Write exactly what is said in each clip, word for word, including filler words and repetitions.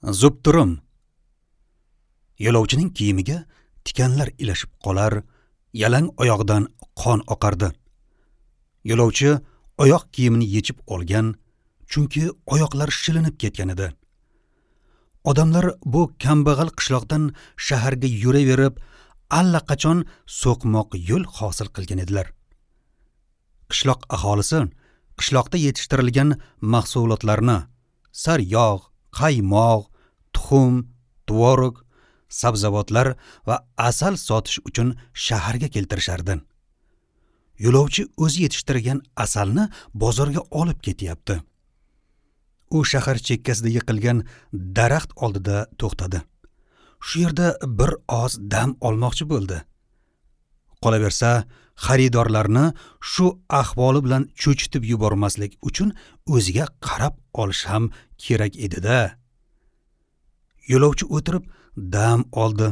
Zubturum. Yo'lovchining kiyimiga tikanlar ilashib qolar, yalang oyog'idan qon oqardi. Yo'lovchi oyoq kiyimini yechib olgan, chunki oyoqlar shilinib ketgan edi. Odamlar bu kambag'al qishloqdan shaharga yuraverib, allaqachon so'qmoq yo'l hosil qilgan edilar. Qishloq aholisi qishloqda yetishtirilgan mahsulotlarni saryog', qaymoq, tuxum, tvorog, sabzavotlar va asal sotish uchun shaharga keltirishardi. Yo'lovchi o'zi yetishtirgan asalni bozorga olib ketyapti. U shahar chekkasida yiqilgan daraxt oldida to'xtadi. Shu yerda bir oz dam olmoqchi bo'ldi. Qolaversa, xaridorlarni shu ahvoli bilan cho'chitib yubormaslik uchun o'ziga qarab olish ham kerak edi-da. Yo'lovchi o'tirib dam oldi.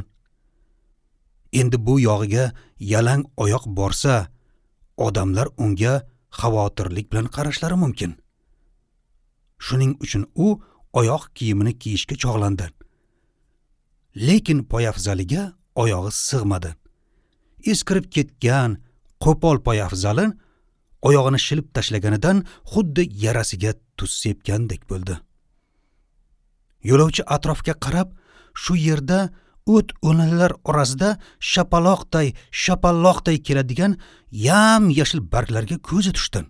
Endi bu yog'iga yalang oyoq borsa, odamlar unga xavotirlik bilan qarashlari mumkin. Shuning uchun u oyoq kiyimini kiyishga chog'landi. Lekin poyafzaliga oyog'i sig'madi. Eskirib ketgan qo'pol poyafzali oyog'ini shilib tashlaganidan xuddi yarasiga tuz sepgandek bo'ldi. Yo'lovchi atrofga qarab, shu yerda o't o'lanlar orasida shapaloqday, shapaloqday keladigan yam-yashil barglarga ko'zi tushdi.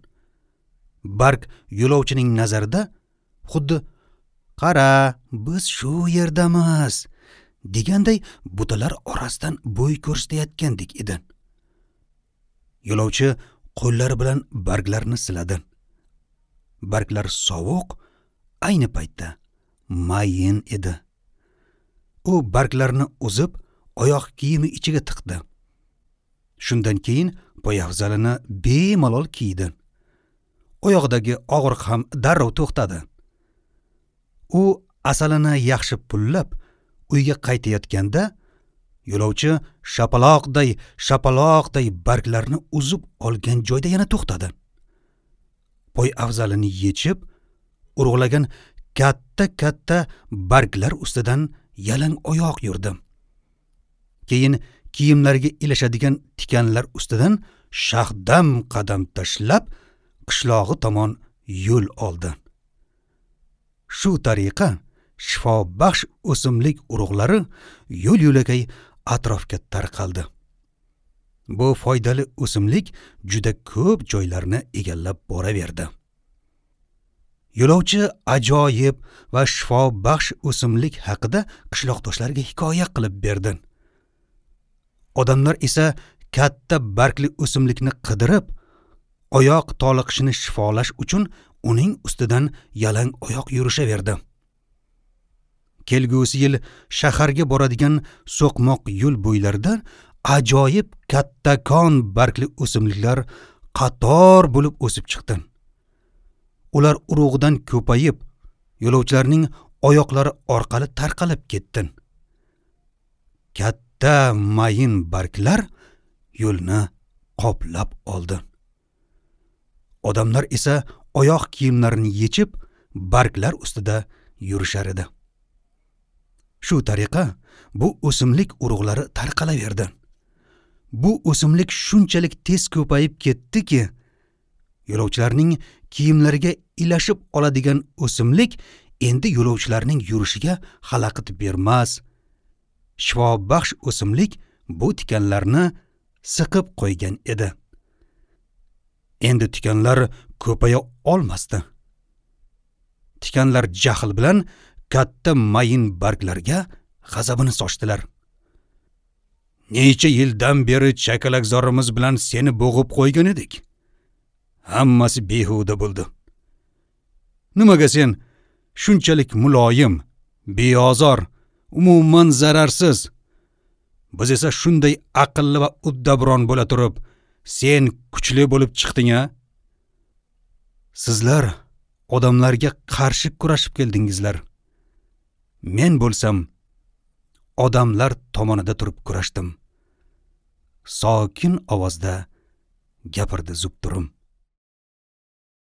Barg yo'lovchining nazarida xuddi "Qara, biz shu yerdamiz" deganday butalar orasidan bo'y ko'rsatayotgandek edi. Yo'lovchi qo'llari bilan barglarni siladi. Barglar sovuq, ayni paytda mayin edi. U barglarni uzib, oyoq kiyimi ichiga tiqdi. Shundan keyin poyafzalini bemalol kiydi. Oyog'idagi og'riq ham darrov to'xtadi. U asalini yaxshi pullab uyga qaytayotganda yo'lovchi shapaloqday, shapaloqday barglarni uzib olgan joyda yana to'xtadi. Poyafzalini yechib, urug'lagan katta-katta barglar ustidan yalang oyoq yurdi. Keyin kiyimlariga ilashadigan tikanlar ustidan shahdam qadam tashlab qishlog'i tomon yo'l oldi. Shu tariqa shifobaxsh o'simlik urug'lari yo'l-yo'lakay atrofga tarqaldi. Bu foydali o'simlik juda ko'p joylarni egallab boraverdi. Yo'lovchi ajoyib va shifobaxsh o'simlik haqida qishloqdoshlariga hikoya qilib berdi. Odamlar esa katta bargli o'simlikni qidirib, oyoq toliqishini shifolash uchun uning ustidan yalang oyoq yurishaverdi. Kelgusi yil shaharga boradigan so'qmoq yo'l bo'ylarida ajoyib kattakon bargli o'simliklar qator bo'lib o'sib chiqdi. Ular urug'idan ko'payib, yo'lovchilarning oyoqlari orqali tarqalib ketdi. Katta mayin barglar yo'lni qoplab oldi. Odamlar esa oyoq kiyimlarini yechib, barglar ustida yurishar edi. Shu tariqa bu o'simlik urug'lari tarqalaverdi. Bu o'simlik shunchalik tez ko'payib ketdiki, yo'lovchilarning kiyimlariga ilashib oladigan o'simlik endi yo'lovchilarning yurishiga xalaqit bermas. Shifobaxsh o'simlik bu tikanlarni siqib qo'ygan edi. Endi tikanlar ko'paya olmasdi. Tikanlar jahl bilan katta mayin barglarga g'azabini sochdilar. Necha yildan beri chakalakzorimiz bilan seni bo'g'ib qo'ygan edik. Hammasi behuda bo'ldi. Nimaga sen shunchalik muloyim, beozor, umuman zararsiz? Biz esa shunday aqlli va uddabron bo'la turib, sen kuchli bo'lib chiqding-a? Sizlar odamlarga qarshi kurashib keldingizlar. Men bo'lsam odamlar tomonida turib kurashdim. Sokin ovozda gapirdi Zubturum.